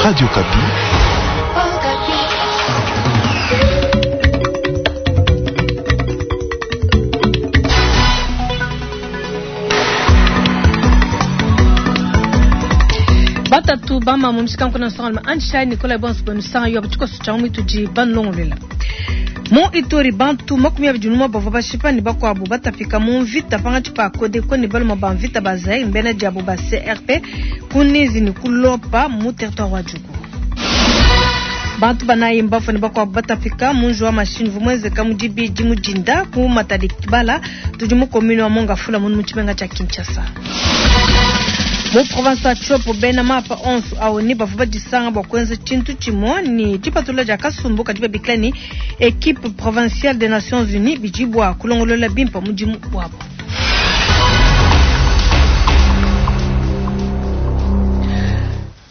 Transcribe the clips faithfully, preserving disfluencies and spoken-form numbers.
Radio Okapi. Batatu bama mu mishikanku na nsonga anjishayi Nicolas bonso benu yo tshikoso tshia mwitu di banlongolela mu Ituri bantu makumi abidi numwe bavua bashipa ne bakuabu batapika mu mvita pangatshi pa Kodeko ne baluma ba mvita ba Zaire mbena diabo ba C R P kunizi ne kulopa mu territoire wa Djugu. Bantu banayi mbafo ne bakuabu batapika mu nju wa mashini vumwenzeka mu dibidi mu dinda ku Matadi Kibala tudi mu commune wa Mongafula mu tshimenga tshia Kinshasa. Mu province ya Tshopo bena mapa onso awo ni bavua badisanga bua kuenza tshintu tshimue ni dipatula dia kasumbu kadi babikila ni équipe provinciale des Nations Unies bidi bua kulongolola bimpe mudimu wabo.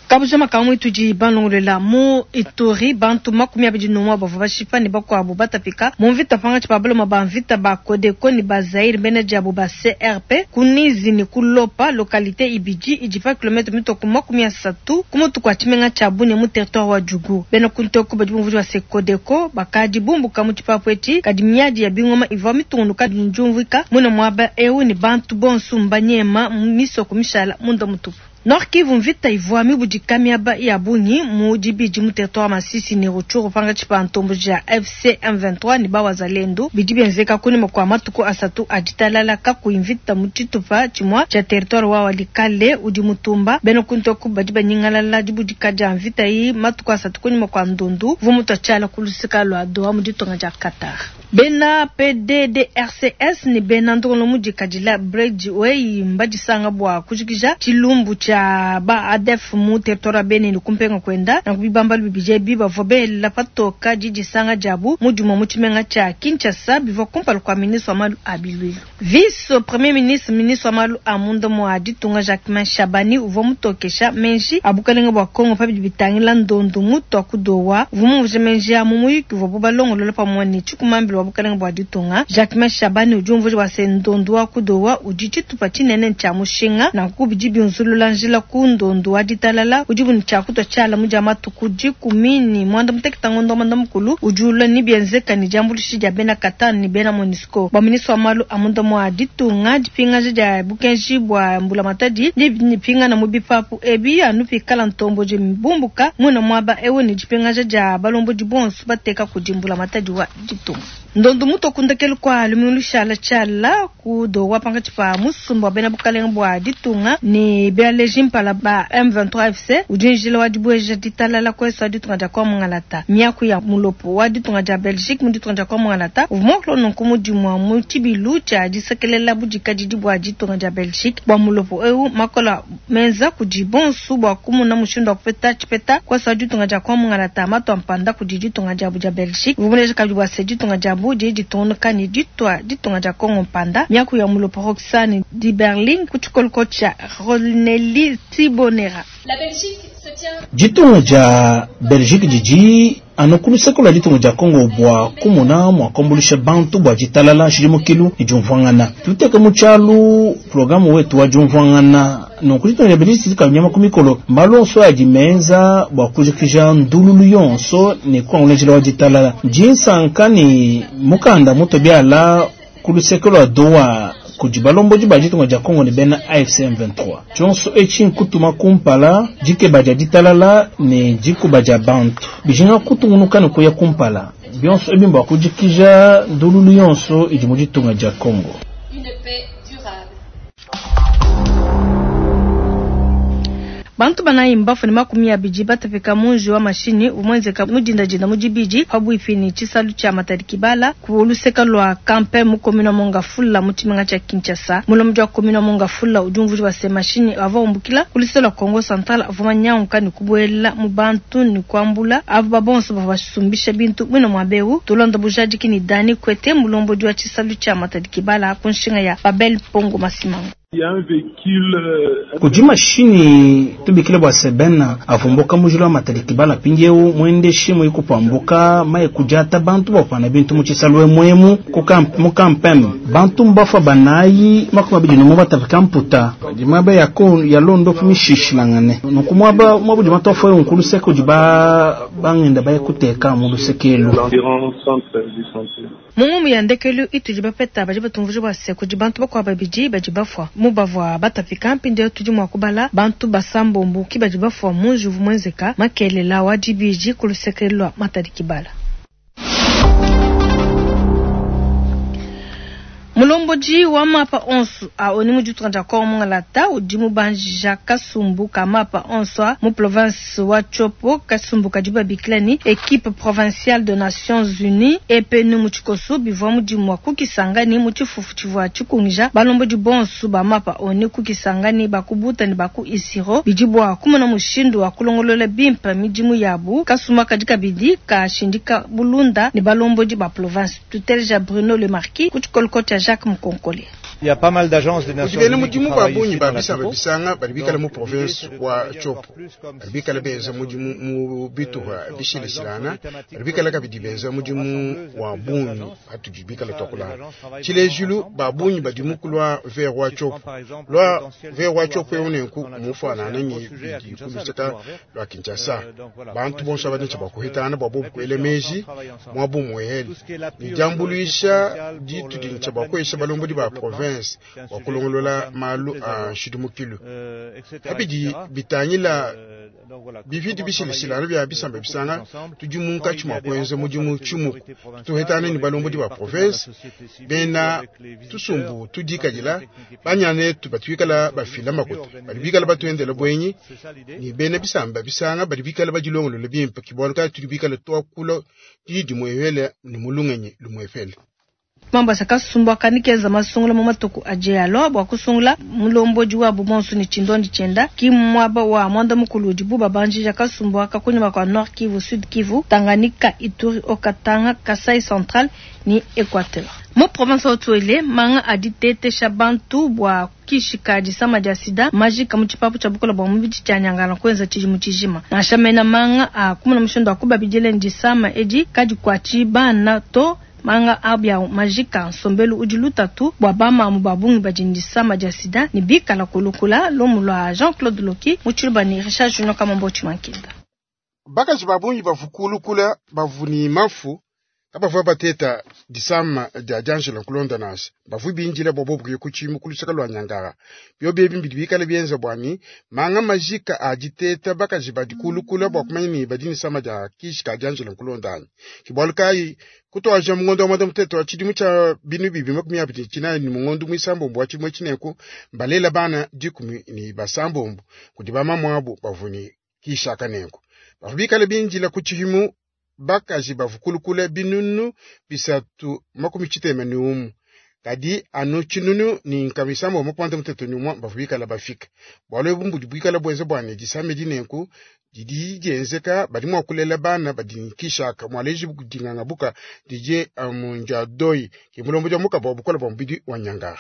Kabujama kamwe tudi banlongolela mu Ituri bantu makumi abidi numwe bavua bashipa ne bakuabu batapika mu mvita pangatshi pa baloma ba mvita ba Kodeko ne ba Zaire bena diabo ba C R P kunizi ne kulopa localité ibidi idi pa kilomètre mitoko makumi asatu ku mutu kua tshimenga tshia Bunia mu territoire wa Djugu. Bena kuntoko badi bumvua ba se Kodeko bakadi bumbuka mu tshipapu etshi kadi miadi ya bingoma ivua mitungunuka njumvika muna muaba eu ne bantu bonso mbanyema misoko mishala munda mutupu. Nord Kivu mvita ivua mibudika miaba ya bungi mu dibidi mu territoire Masisi ne Rutshuru pangatshi pa ntombo ja F C M vingt-trois ne bawazalendo bidi bienzeka kunyima kua matuku asatu a ditalala kakuyi mvita mu tshitupa tshimue tshia territoire wa Walikale udi mutumba bena kuntoku badi banyingalala dibudika dia mvita iyi matuku asatu kunyima kua ndundu uvua mutua tshiala ku luseka lua Doha mu ditunga dia Qatar. Bena P D D R C S ne bena ndongolo mudikadila Bridgeway mbadisanga bua kujikija tshilumbu tshia ba A D F mu territoire Beni ne kumpenga kwenda na kubibamba bibije bi bavua bela patoka didisanga diabu mu dimue mu tshimenga tshia Kinshasa bivua kumpala kua ministre wa malu a biluilu. Vice premier ministre ministre wa malu a munda mua ditunga Jacquemain Shabani uvua mutokesha menji a bukalenga bua Kongo pa bidi bitangila ndondu mutu wa kudowa uvua mumvuje menji a mu muyuki uvua balongolola pamue ne tshikumambila wa bukalenga bua ditunga. Jacquemain Shabani udi umvuja bua se ndondu wa kudowa udi tshitupa tshinene tshia mushinga na kubidi binzulula njila ku ndondu wa ditalala udi buni tshia kutwa tshiala mu dia matuku dikumi ni mwanda muteketa ngondo mwanda mukulu udi ulua ni bienzeka ni diambuluishi dia bena Qatar ni bena MONUSCO. Bua ministre wa malu a munda mua ditunga dipingaja dia bukenji bua mbulamatadi dipingana mu bipapu ebi anu pikala ntombo di mbumbuka muna muaba ewu ni dipingaja dia balombodi bonso bateka kudi mbulamatadi wa ditunga. Ndondu muto kundekelu kwa lumingu shala tshiala ku Doha pangatshi pa musumba wa bena bukalenga bua ditunga ni bia mpala ba M vingt-trois F C udi njila wa dibueja ditalala kweso wa ditunga dia kwa Mungalata. Miaku ya mulopo wa ditunga dia Belgique mu ditunga dia kwa Mungalata uvua muakula nunku mudimu mu tshibilu tshia disekelela budikadidi bua ditunga dia Belgique bua mulopo eu makola menza kudi bonsu bua kumuna mushindu wa kupeta tshipeta kweso wa ditunga dia kwa Mungalata matwa mpanda kudi ditunga diabu dia Belgique uvua muleja kabidi bua se ditunga diabu didi ditungunuka ne ditwa ditunga dia Kongo mpanda. Miaku ya mulopo Roxane di Berlin ku tshikoloko tshia Ronelli Tibonera. La Belgique se tient. Ditunga dia Belgique didi anu ku luseke lua ditunga dia Kongo bua kumuna mua kuambuluisha bantu bua ditalala nshidimukilu ne diumvuangana. Tuteke mu tshialu programu wetu wa diumvuangana nunku ditunga dia Belgique didi kanyama ku mikolo malu onso adi menza bua kujikija ndululu yonso ne kuangula njila wa ditalala. Dinsanka ne mukanda muto biala ku luseke lua Doha kudi balombodi ba ditunga dia Kongo ne bena A F C M vingt-trois. Tshionso etshi nkutuma kumpala dikeba dia ditalala ne dikuba dia bantu bijinga kutungunuka ne kuya kumpala bionso ebi mbua kujikija ndululu yonso idi mu ditunga dia Kongo. Une paix durable. Bantu banayi mbafu ne makumi abidi batapika munji wa mashini umwenzeka mudindadinda mu dibidi pabuipi ne tshisalu tshia Matadi Kibala ku luseka lua Kampe mu commune wa Mongafula mu tshimenga tshia Kinshasa. Mulombodi wa commune wa Mongafula udi umvuija bua se mashini avua umbukila ku luseke lua Kongo Central avua manyanguka ne kubuela mu bantu ne kuambula aba babonso bavua basumbisha bintu mwina mua beu. Tulonda bujadiki ni Dani Kwete mulombodi wa tshisalu tshia Matadi Kibala ku nshinga ya Babel Pongo Masimango. Kudi mashinyi tubikile bua sebena avumbuka mujila wa Matadi Kibala mpindieu mwendeshi muikupambuka maye kudiata bantu bapana bintu mu tshisalu emuemu mu kampem bantu mbafa banayi makumi abidi ne umue batapika mputa di miaba ya ko ya londo mishishilangane nunku muaba muaba udi matofu ewu nkuluseke udi ba bangenda baye kuteka mu lusekelu. Mu ya ndekelu itudi bapeta badi batumvuja bua se kudi bantu bakuabu babidi badi bafua mu bavua batapika mpindieu tudi mua kubala bantu basambombo ki badi bafua mu njuvu muenzeka makelela wa dibidi ku luseke lua Matadi Kibala. Mulombodi wa mapa onso a oni mu ditunga dia Kongo Mungalata udi mubanjija kasumbu ka mapa onso a mu province wa Tshopo kasumbu kadi babikila ni équipe provinciale de Nations Unies E P N mu tshikoso bivua mudimu wa kukisangani mu tshifufu tshivua tshikungija balombodi bonso ba mapa oni kukisangani bakubuta ne baku isiro bidi bua kumona mushindu wa kulongolola bimpe midimu yabu kasumbu kadi kabidi kashindika bulunda ne balombodi ba province tuteleja Bruno Le Marquis ku tshikoloko tshia Jacques Mkonkole. Il y a pas mal d'agences des Nations Unies qui mudimu travaillent babunyi ici dans la babisa Tshopo. babisanga bali bikala mu Donc, province l'idée, c'est de wa travailler Tshopo encore plus comme bali bikala système benza mudimu mu bituha euh, sur, par bishilishilana exemple, sur les bali bikala thématiques kabidi benza qui sont mudimu rassembleuses à wa plusieurs bungi agences. atudi bikala Ça, les twakulana agences travaillent tshilejulu vraiment ensemble, babunyi encore badi plus mukulwa ver wa Si je prends Tshopo par exemple le lwa potentiel du ver wa couloir Tshopo vert eunenku dans la Tshopo, c'est mufanana un ni gros sujet à bidi Kinshasa, le kuluseka couloir vert. lwa Kinshasa Euh, donc voilà, bantu comment est-ce bonso que les abadi agences bakuhetana bwa peuvent bobu kuele réfléchir meji ensemble, travailler ensemble. mwabu muhele Tout ce qui est l'appui ni aux autorités diambuluisha provinciales pour ditu le- dintsha la bakwesha planification balombodi du ba développement, province c'est un wa sujet qui kulongolola concerne malu toutes les a agences, nshidumukilu euh, et cetera, abidi et cetera. bitangila Euh, donc voilà, bividi comment bishilishilana travailler bya euh, bisamba beaucoup plus bisanga ensemble tudi quand munkatshi il y mwa a des kwenza rencontres mudimu avec les tshimuku autorités provinciales tuhetane ou ni avec balombodi les ba partenaires de la province société civile ou bena avec les visiteurs tusumbu dans tudikadila des techniques banyana etu batuikala efficaces. bafila Mieux makuta organiser bali bikala comment mieux batuendela se voir. bwenyi C'est ça l'idée. ni bena bisamba bisanga bali bikala badilongolola bimpe kibwana kali tudi bikala twakula didi mwehele ni mulungenyi lumwefele Mambasa kasumbu akanikeza masungula mu matuku aje alo bua kusungula mulombodi wabo bonso ni tshindondi tshienda ki muaba wa mwanda mukulu udi buba banjija kasumbu aka kunyuma kua Nord Kivu, Sud Kivu, Tanganyika, Ituri, Haut-Katanga, Kasai Central ni Equateur. Mu province wa Haut-Uele manga aditetesha bantu bua kishika disama dia sida majika mu tshipapu tshia bukola bua mubidi tshia nyangana kuenza tshidimu tshijima nansha mena manga a kumuna mushindu wa kubabidile disama edi kadi kuatshi bana to manga abia majika nsombelu udi lutatu bua bamamu babungi badi ne disama dia sida ne bikala kulukula lomu lua Jean-Claude Loki mu tshiluba ne Richard Junior Kamambo Tshimankenda. Bakaji babungi bavukulukula bavuni mafu kabavua bateta disama dia diangela nkulonda nasa bavu binjila bwa bobu kuya kutshimu kulusaka lwa nyangara byo byebi mbidi bikala bienza bwani manga majika aditeta bakaji badikulukula bwa kumanya ni badi nisama dia kishi ka diangela nkulonda anyi kibwalu kayi kutwaja mungondo wa mwanda muteto wa tshidimu tsha binu bibi makumi abidi tshinayi ni mungondo mwisambombo wa tshimue tshineku mbalela bana dikumi ni basambombo kudi bamamwabu bavuni kishaka nenku bavu bikala binjila ku tshihimu bakaji bavukulukula binunu bisatu makumi tshitema ni umu kadi anu tshinunu ni nkamisambo makwanda muteto ni umwa bavu bikala bafika bwalu ebu mbudi bwikala bwenze bwane disame dinenku didi dienzeka badi mua kulela bana badi nkishaka mwaleji dinganga buka dije amunja doi ke mulombo dia mukaba wa bukola bwa mubidi wa nyangara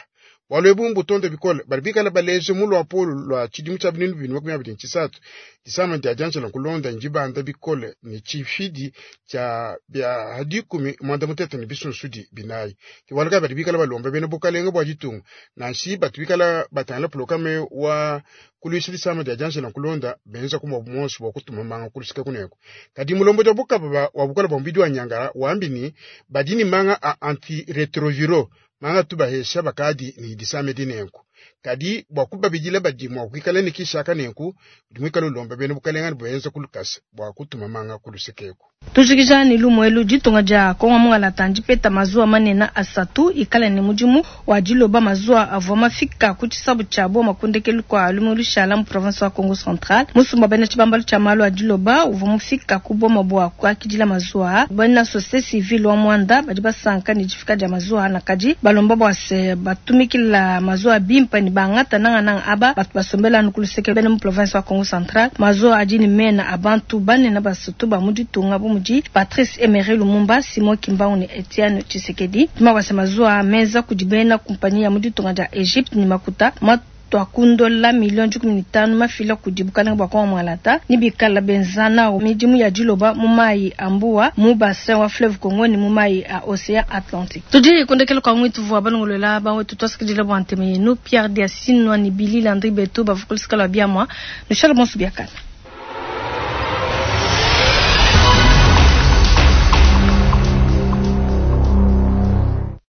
bwalu ebu mbutonde bikole badi bikala baleje mu lwapolu lwa tshidimu tshia binunu bibini makumi abidi ntshisatu disama dia dianjela nkulonda njibanda bikole ni tshifidi tshia bia dikumi mwanda mutete ni bisunsudi binayi kibwalu kaya badi bikala balomba bena bukalenga bwa ditunga nanshi batu bikala batangila pulokame wa kulwisa disama dia dianjela nkulonda benza kumwa bumonso bwa kutuma manga kulusika kuneko kadi mulombo dia bukaba wa bukola bwa mubidi wa nyangara wambi ni badi ni manga a antiretroviro manga tubahesha bakadi ni disame dinenku kadi bwa kubabidila badi mwa kuikala ni kishaka nenku dimwikala ulomba bena bukalenga bwenza kulukasa bwa kutuma manga kulusekeku Tujikija ni lumuelu ditunga dia Kongo Mungalata ndipeta mazuwa manene asatu ikala ne mudimu wa diloba mazuwa avua mafika ku tshisabu tshia boma kundekelu kua lumu lushala mu province wa Kongo Central musumba bena tshibambalu tshia malu a diloba uvua mufika ku boma bua kuakidila mazuwa bena société civile wa Mwanda badi basanka ne difika dia mazuwa nakadi balomba bua se batumikila mazuwa bimpe ne bangata nangananga aba batu basombela anu ku luseke bena mu province wa Kongo Central mazuwa adi ne mena abantu banene basatu ba mu ditunga bu bu mudi Patrice Emery Lumumba, Simon Kimbangu ne Etienne Tshisekedi. Mabasa mazuwa menza kudi bena kumpanyi ya mu ditunga dia Egypte ne makuta matua ku ndola million dikumi ne tanu mafila kudi bukalenga bua Kongo Mwalata ne bikala benza nawu midimu ya diloba mu mayi a mbuwa mu bassin wa fleuve Congo ne mu mayi a océan Atlantique. Tudi kundekela kwa mwitu vua balongolola bawetu twasikidila bua nteme yenu Pierre Diasinwa ne Billy Landry Beto bavua kulusika lua biamua nushale bonso biakana.